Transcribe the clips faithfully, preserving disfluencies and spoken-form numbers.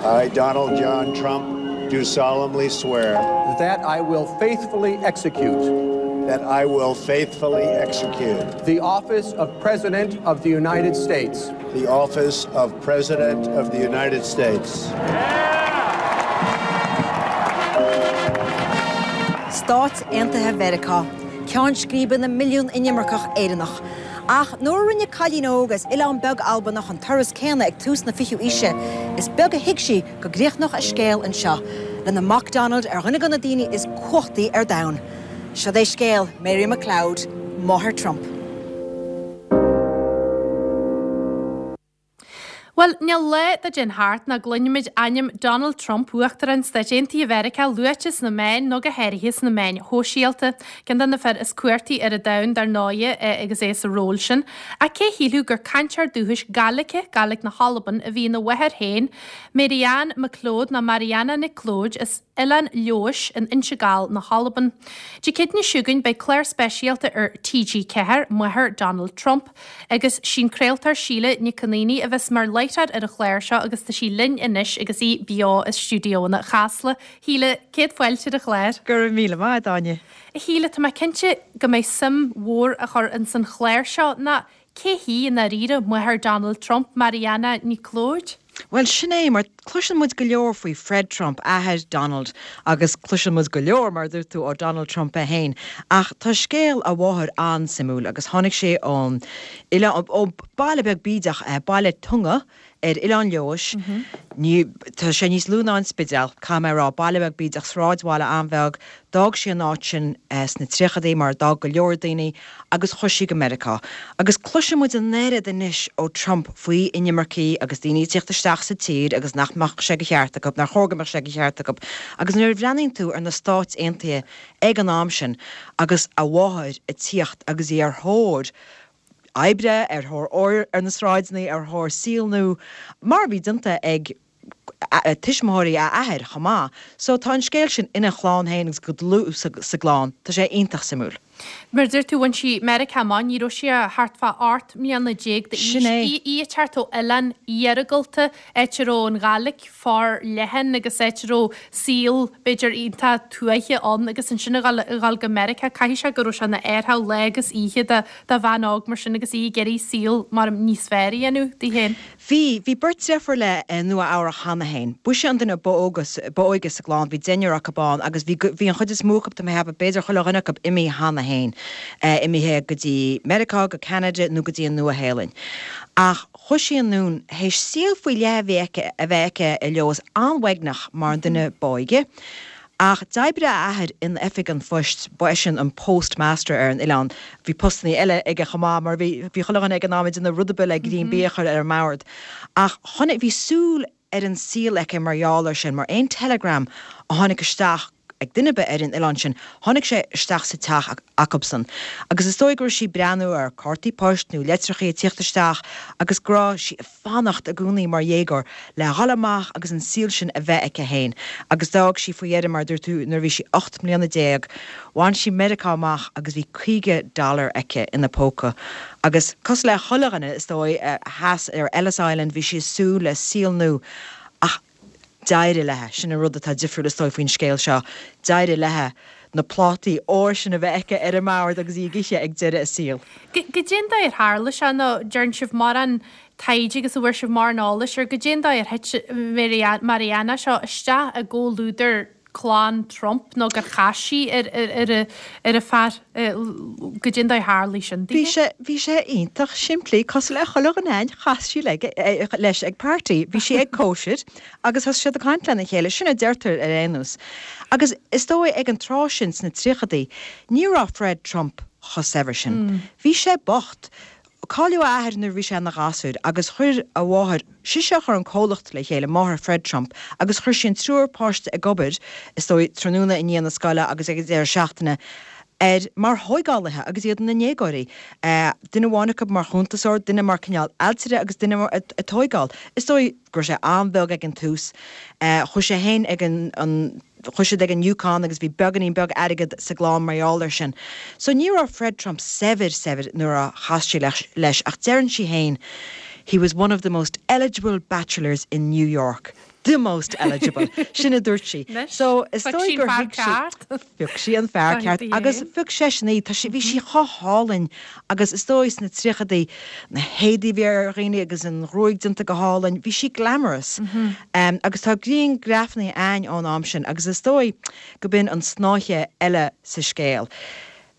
I, Donald John Trump, do solemnly swear that I will faithfully execute that I will faithfully execute the office of President of the United States the office of President of the United States. Stáit Aontaithe Mheiriceá, ceann scríbe na milliún inimirceach Éireannach. Ach nuair a rinne cailín óg as oileán beag Albanach an turas céanna ag tús na fichiú haoise, is beag a thuig sí go gcríochnódh a scéal anseo, lena mac Donald ar dhuine de na daoine is cumhachtaí ar domhan. Seo é scéal Mary McLeod, máthair Trump. Bhuel, níl lá dá dtéann thart nach gcluinimid ainm Donald Trump, Uachtarán Stáit Aontaithe Mheiriceá, luaite sna meáin nó go háirithe sna meáin shóisialta. Ceann de na fir is cumhachtaí ar an domhan dar ndóigh agus é sa ról sin. Ach cé shílfeadh gur cainteoir dúchais Gaeilge, Gaeilge na hAlban, a bhí ina mháthair féin, Mary-Ann MacLeod nó Mariana Nic Leoid as Oileán Leodhais in Inse Gall na hAlban. Dé Céadaoine seo chugainn beidh clár speisialta ar T G ceathair, Máthair Donald Trump, agus sí'n craoltóir Síle Nic Con Aoidh a bheas mar láithreoir ar an chlár seo agus tá sí linn anois agus í beo i stiúideoanna Chasla. Shíle, céad fáilte ar an chlár. Go raibh míle maith, Áine. A Shíle, tá mé cinnte go mbeidh suim mhór á chur ins an chlár seo ná cé hí i ndáiríre máthair Donald Trump, Mariana Nic Leoid? Bhuel, sin é, mar cloiseann muid go leor faoi Fred Trump, athair Donald, agus cloiseann muid go leor, mar a dúirt tú, ó Donald Trump é féin. Ach tá scéal a mháthar an-suimiúil agus tháinig sé ón oileán, ó baile beag bídeach, baile Tonga ar Oileán Leodhais. Ní, tá sé níos lú ná an Spidéal, caithfidh mé a rá, baile beag bídeach, sráidbhaile an-bheag. D'fhág sí an áit sin sna tríochadaí, mar a d'fhág go leor daoine, agus chuaigh sí go Meiriceá. Agus cloiseann muid an oiread anois ó Trump faoi inimircigh agus daoine ag tíocht isteach sa tír agus nach mbeadh sé de cheart acu, nár chóir go mbeadh sé de cheart acu. Agus nuair a bhreathnaíonn tú ar na Stáit Aontaithe ag an am sin agus a mháthair ag tíocht agus í ar thóir oibre, ar thóir óir ar na sráideanna, ar thóir saol nua, mar a bhí déanta ag tuismitheoirí a athair chomh maith. So tá an scéal sin ina chlann féin agus go dlúth sa gclann. Tá sé iontach suimiúil. Mar a deir tú, bhain sí Meiriceá amach, ní raibh sí ach thart fá ocht mbliana déag d'aois. Sin é. Í ag teacht ó oileán iargúlta, áit a raibh an Ghàidhlig forleathan agus áit a raibh saol, b'fhéidir, iontach tuaithe ann agus ansin a dhul, a dhul go Meiriceá, caithfidh sé go raibh sé ina athrach lá agus oíche do, do bhean óg mar sin agus í ag iarraidh saol mar níos fearr a dhéanamh di féin. Bhí, bhí beirt deirfiúr léi i Nua Eabhrac cheana féin. B'ise an duine ba óga, ba óige sa gclann, bhí deichniúr acu ann agus bhí, bhí an chuid is mó acu, tá mé ag ceapadh, b'fhéidir chuile dhuine acu imithe cheana féin, imithe go dtí Meiriceá, go Ceanada nó go dtí an Nua-Shéalainn. Ach chuaigh sí anonn, théis saol faoi leith a bhí aici, a bheith aici i Leodhas, an-uaigneach mar an duine b'óige. Ach d'oibrigh a athair in oifig an phoist, ba eisean an postmaster ar an oileán. Bhí postannaí eile aige chomh maith mar bhí, bhí chuile dhuine ag an am ag déanamh rud ar bith le greim bídh a chur ar an mbord. Ach chonaic, bhí súil ar an saol aici mar gheall air sin, mar aon telegram a tháinig isteach ag duine ar bith ar an oileán sin, tháinig sé isteach sa teach acubsan. Agus is dóigh go raibh sí ag breathnú ar cártaí poist nó litreachaí ag tíocht isteach agus go raibh sí ag fanacht i gcónaí mar dhéagóir le dhul amach agus an saol sin a bheith aici féin. Agus d'fhág sí faoi dheireadh, mar a dúirt tú, nuair a bhí sí ocht mbliana déag. Bhain sí Meiriceá amach agus bhí caoga dollar aici ina póca. Agus cosúil le chuile dhuine, is dóigh, theas ar Ellis Island, bhí sí ag súil le saol nua. Ach d'éirigh léi. Sin an rud atá difriúil, is dóigh, faoin scéal seo. D'éirigh léi na plátaí óir sin a bheith aici ar an mbord agus í ag ithe ag deireadh a saoil. Goidé an dóigh ar tharla sé nó dtearn sibh mórán taighde agus an bhfuair sibh mórán eolais ar goidé an dóigh ar thit Mariana seo isteach i gcomhluadar clann Trump nó gur chas sí ar ar an fear, goidé an dóigh ar tharlaigh sin Bhí sé bhí sé iontach simplí, cosúil le chuile dhuine againn, chas sí leis ag party, bhí sí ag cóisir agus thosaigh siad ag caint lena chéile, sin a deirtear ar aon nós. Agus is dóigh ag an tráth sin sna tríochadaí, ní raibh Fred Trump chomh saibhir sin. Bhí sé bocht. Cailleadh a athair nuair a bhí sé ina ghasúr agus chuir a mháthair, sise a chuir an comhlacht le chéile, máthair Fred Trump, agus chuir sí an triúr páiste ag obair, is dóigh, tráthnóna i ndiaidh na scoile agus ag an deireadh seachtaine, ar, mar thóigeálaithe agus iad ina ndéagóirí. Duine amháin acu mar chuntasóir, duine mar cineál ailtire agus duine mar ag tóigeáil. Is dóigh go raibh sé an-bheag ag an tús. Chuaigh sé féin ag an, an. Chuaigh siad ag an Yukon agus bhí beagáinín beag airgead sa gclann mar gheall air sin. So ní raibh Fred Trump saibhir saibhir nuair a chas sí leis ach deireann sí féin, He was one of the most eligible bachelors in New York. The most eligible. Sin a dúirt sí. So is dóigh gur thuig sí phioc sí an fear ceart agus phioc seisean í tá sí bhí sí chomh hálainn agus is dóigh sna tríochaidí na héadaí a bhí ar dhaoine agus an ghruaig déanta go hálainn, bhí sí glamorous. Mm -hmm. um, agus tá grianghrafanna ann ón am sin agus is dóigh go b'in an snáithe eile sa scéal.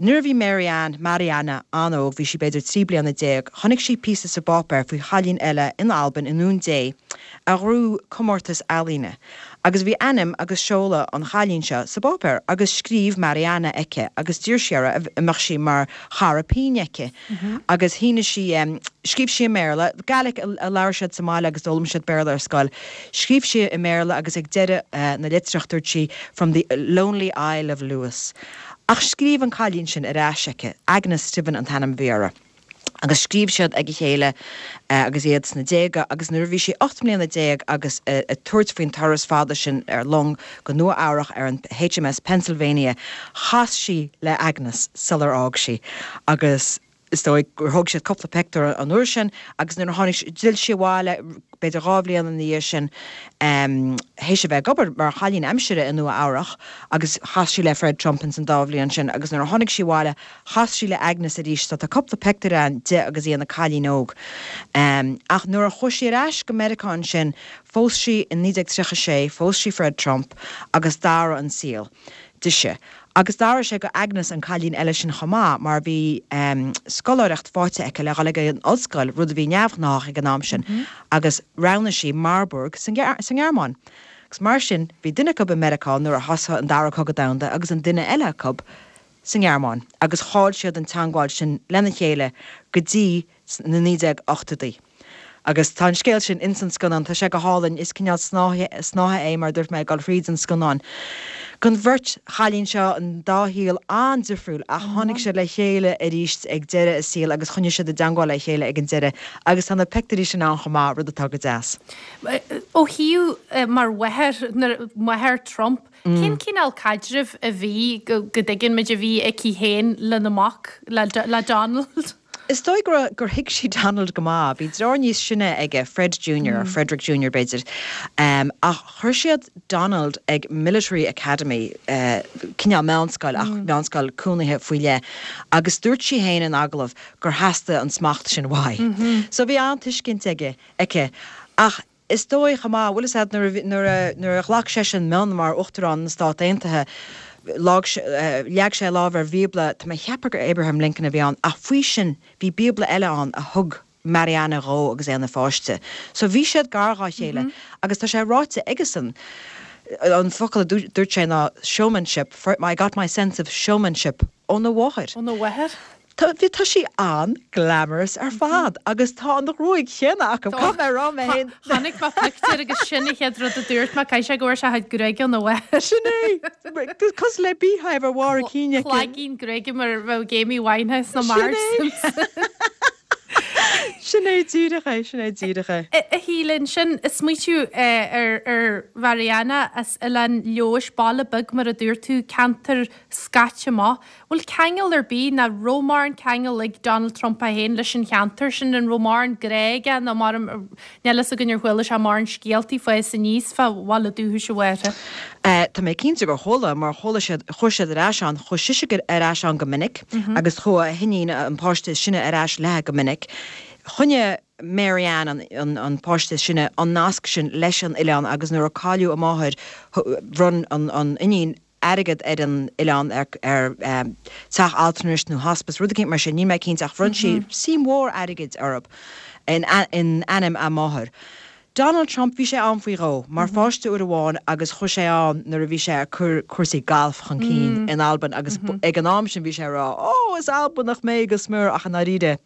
Nuair a bhí Marianne, Mariana, an-óg, bhí sí b'fhéidir trí bliana déag, chonaic sí píosa sa bpáipéar faoi chailín eile in Albain i nDún Dé a ghnóthaigh comórtas ealaíne. Agus bhí ainm agus seoladh an chailín seo sa bpáipéar agus scríobh Mariana aici agus d'iarr sí uirthi an mbeadh sí mar chara pinn aici. Agus shínigh sí, scríobh sí i mBéarla, Gaelic a labhair siad sa mbaile agus d'fhoghlaim siad Béarla ar scoil. Scríobh sí i mBéarla agus ag deireadh na litreach dúirt sí 'from the lonely Isle of Lewis'. Ach scríobh an cailín sin ar ais aici, Agnes Stiven an t-ainm a bhí uirthi. Agus scríobh siad ag a chéile agus iad sna déaga agus nuair a bhí sí ocht mbliana déag agus ag tabhairt faoin turas fada sin ar long go Nua Eabhrach ar an HMS Pennsylvania, chas sí le Agnes sular fhág sí agus is dóigh gur thóg siad cúpla pictiúr an uair sin agus nuair a tháinig, d'fhill sí abhaile b'fhéidir dhá bhliain ina dhiaidh sin théis a bheith ag obair mar chailín aimsire i Nua Eabhrach agus chas sí le Fred Trump ins an dá bhliain sin agus nuair a tháinig sí abhaile chas sí le Agnes arís so tá cúpla pictiúr ann di agus í ina cailín óg. Ach nuair a chuaigh sí ar ais go Meiriceá ansin phós sí in naoi déag tríocha sé, phós sí Fred Trump agus d'athraigh an saol dise. Agus d'athraigh sé go Agnes an cailín eile sin chomh maith mar bhí scoláireacht faighte aici le dhul ag an ollscoil, rud a bhí neamhghnách ag an am sin, agus roghnaigh sí Marburg sa nGearmáin. Agus mar sin, bhí duine acu i Meiriceá nuair a thosaigh an Dara Cogadh Domhanda agus an duine eile acu sa nGearmáin agus chaill siad an teangmháil sin lena chéile go dtí na naoi déag ochtóidí. Agus tá an scéal sin ins an scannán, tá sé go hálainn, is cineál snáithe é mar a dúirt mé, ag dul thríd an scannán. Gon bheirt chailín seo, an dá shaol an-difriúil ach tháinig siad le chéile arís ag deireadh a saoil agus choinnigh siad i dteangmháil le chéile ag an deireadh agus tá na pictiúirí sin ann chomh maith, rud atá go deas. Ó thaobh mar mháthair, máthair Trump, cén cineál caidrimh a bhí, go dtuigeann muid, a bhí aici féin lena mac, le Donald? Is dóigh go raibh, gur thuig sí Donald go maith. Bhí deartháir níos sine aige, Fred Junior, or Frederick Junior b'fhéidir. Ach chuir siad Donald ag Military Academy, cineál meánscoil ach meánscoil cónaithe faoi leith, agus dúirt sí féin in agallamh gur theastaigh an smacht sin uaidh. So bhí an-tuiscint aige, aici. Ach is dóigh chomh maith, bhfuil fhios a'd, nuair a, nuair a, nuair a ghlac seisean mionn mar Uachtarán na Stát Aontaithe, leag sé a lámh ar Bhíobla, tá mé ag ceapadh gur Abraham Lincoln a bhí ann, ach faoi sin bhí Bíobla eile ann a thug Mariana dhó agus é ina pháiste. So bhí siad gar dhá chéile agus tá sé ráite aigesan, an focal a dúirt sé ná showmanship, I got my sense of showmanship óna mháthair. Óna mháthair? Tá, bhí, tá sí an-glamorous ar fad agus tá an ghruaig chéanna acu, caithfidh mé a rá mé féin. Chonaic mé pictiúr agus sin an chéad rud a dúirt mé, caithfidh sé go bhfuair sé a chuid gruaige óna mháthair. Sin é! Cosúil le beehive ar bharr a cinn aici. Cloigeann gruaige mar a bheadh Amy Winehouse nó Marge Simpson. Sin é díreach é, sin é díreach é. A Shíle, ansin, ag smaoitiú ar ar Mhariana as Oileán Leodhais, baile beag mar a dúirt tú, ceantar scaite amach. Bhfuil ceangal ar bith, nó raibh mórán ceangal ag Donald Trump é féin leis an cheantar sin? An raibh mórán grá aige nó mar, níl fhios againn ar chuala sé mórán scéaltaí fá fás aníos fá bhaile dúchais a mháthar? Tá mé cinnte gur chuala, mar chuala siad, chuaigh siad ar ais ann, chuaigh sise ar ais ann go minic agus chuaigh a hiníon, an páiste is sine, ar ais léi go minic. Choinnigh Mary Ann, an, an páiste is sine, an nasc sin leis an oileán agus nuair a cailleadh a máthair, bhronn an, an iníon, airgead ar an oileán ar teach altranais nó hospice, rud eicínt mar sin, níl mé cinnte ach bhronn sí suim mhór airgid orthu in ainm a máthar. Donald Trump, bhí sé ann faoi dhó, mar pháiste uair amháin agus chuaigh sé ann nuair a bhí sé ag cur cúrsaí gailf chun cinn in Albain agus ag an am sin bhí sé ag rá 'Ó, is Albanach mé go smior' ach i ndáiríre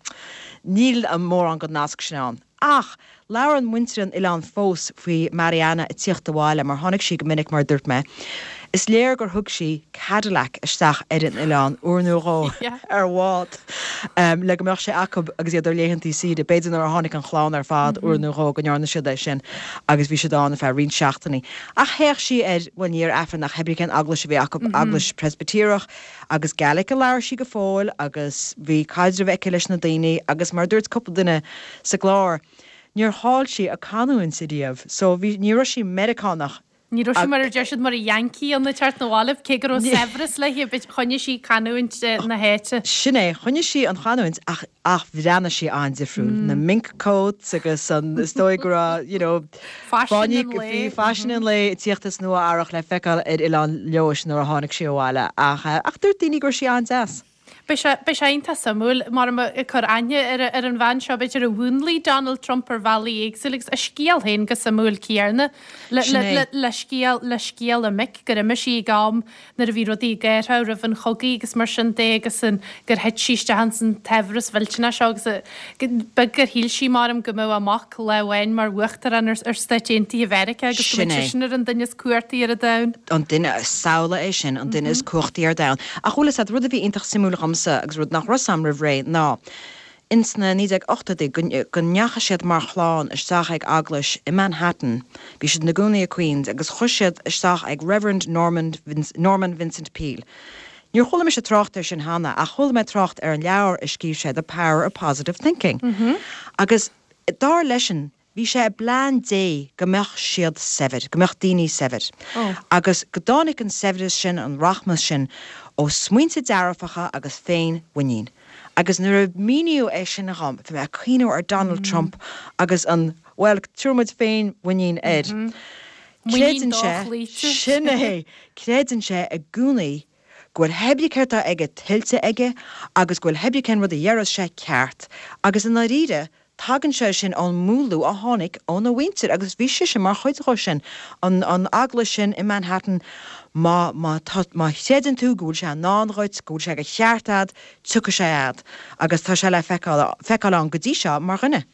níl mórán den nasc sin ann. Ach labhrann muintir an oileáin fós faoi Mariana ag tíocht abhaile mar tháinig sí go minic mar a dúirt mé. Is léir gur thug sí Cadillac isteach ar an oileán uair nó dhó ar bhád le go mbeadh sé acu agus iad ar laethantaí saoire. B'fhéidir nuair a tháinig an chlann ar fad uair nó dhó go ndearna siad é sin agus bhí siad ann ar feadh roinnt seachtainí. Ach théadh sí ar, bhuel ní ar Aifreann ach cibé cén eaglais a bhí acu, eaglais Preispitéireach agus Gaelic a labhair sí go fóill agus bhí caidreamh aici leis na daoine agus mar a dúirt cúpla duine sa gclár, níor chaill sí a canúint riamh, so bhí, ní raibh sí Meiriceánach. Ní raibh sí mar a deir siad mar a Yankee ag teacht 'na bhaile, cé go raibh saibhreas léi, but choinnigh sí canúint na háite. Sin é, choinnigh sí an chanúint ach ach bhreathnaigh sí an-difriúil. Na mink coats agus an, is dóigh go raibh, you know, Faisean an lae. Bhí faisean an lae ag tíocht as Nua Eabhrac le feiceáil ar Oileán Leodhais nuair a tháinig sí abhaile ach ach dúirt daoine go raibh sí an-deas. Beidh sé, beidh sé iontach suimiúil mar ag cur aithne ar, ar an bhean seo, b'fhéidir a mhúnlaigh Donald Trump ar bhealaí éagsúla agus a scéal féin go suimiúil céanna le, Sin le, é. le, le scéal, le scéal a mic gur imigh sí ag am nuair a bhí rudaí ag athrú roimh an chogaidh agus mar sin de agus an, gur thit sí isteach ins an tsaibhreas mhillteanach seo agus a, go, beag gur shíl sí maram go mbeadh a mac lá amháin mar uachtarán ar, ar Stáit Aontaithe Mheiriceá agus go Sin mbeadh é. seisean ar an duine is cumhachtaí ar an domhan. an duine samhlaigh é sin an duine is cumhachtaí ar domhan. Ach bhfuil a fhios agat rud a bhí iontach suimiúil dhomsa agus rud nach raibh a fhios a'm roimh ré ná ins na naoi déag ochtóidí go go ndeachaigh siad mar chlann isteach ag eaglais i Manhattan. Bhí siad ina gcónaí i Queens agus chuaigh siad isteach ag Reverend Norman Vince, Norman Vincent Peale. Níor chuala mise trácht air sin cheana ach chuala mé trácht ar an leabhar a scríobh sé The Power of Positive Thinking. Agus dar leisean bhí sé i bplean Dé go mbeadh siad saibhir, go mbeadh daoine saibhir. Oh. Agus go dtáinig an saibhreas sin an rachmas sin ó smaointe dearfacha agus féinmhuinín. Agus nuair a míníodh é sin dhom, bhí mé ag cuimhneamh ar Donald Trump agus an well tabharfaidh muid féinmhuinín air. Muinín Creideann sé dochloíte. sin é, creideann sé i gcónaí go bhfuil pé ar bith céard atá aige tuillte aige agus go bhfuil pé ar bith cén rud a dhéarfas sé ceart, agus i ndáiríre tagann sé sin ón múnlú a tháinig óna mhuintir agus bhí sé sin mar chuid de sin an an eaglais sin i Manhattan má má tá má chreideann tú go bhfuil sé in ann dhuit, go bhfuil sé de cheart agat, tiocfaidh sé agat agus tá sé le feiceáil feiceáil ann go dtí seo mar dhuine.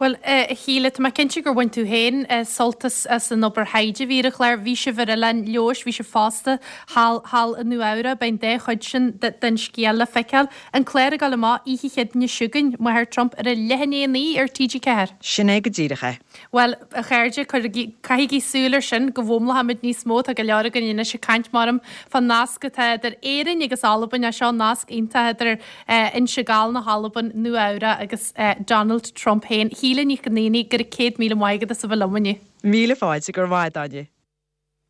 Well a Shíle, tá mé cinnte gur bhain tú féin sult as as an obair thaighde a bhí ar an chlár, bhí sibh ar Oileán Leodhais, bhí sibh fosta thall thall i Nua Eabhrac, beidh an dá chuid sin den scéal le feiceáil. An clár ag dul amach oíche Chéadaoine seo chugainn, Máthair Trump ar a leath i ndiaidh a naoi ar TG Ceathair. Sin é go díreach é. Well a chairde cuirigí caithigí súil ar sin go bhfoghlaimeoimid níos mó tá go leor againn anois ag caint maram fán nasc atá idir Éirinn agus Albain é seo nasc iontach idir Inse Gall na hAlban, Nua Eabhrac agus Donald Trump féin. Shíle Ní Chonaonaigh go raibh céad míle maith agat as a bheith liom inniu. Míle fáilte go raibh maith agat.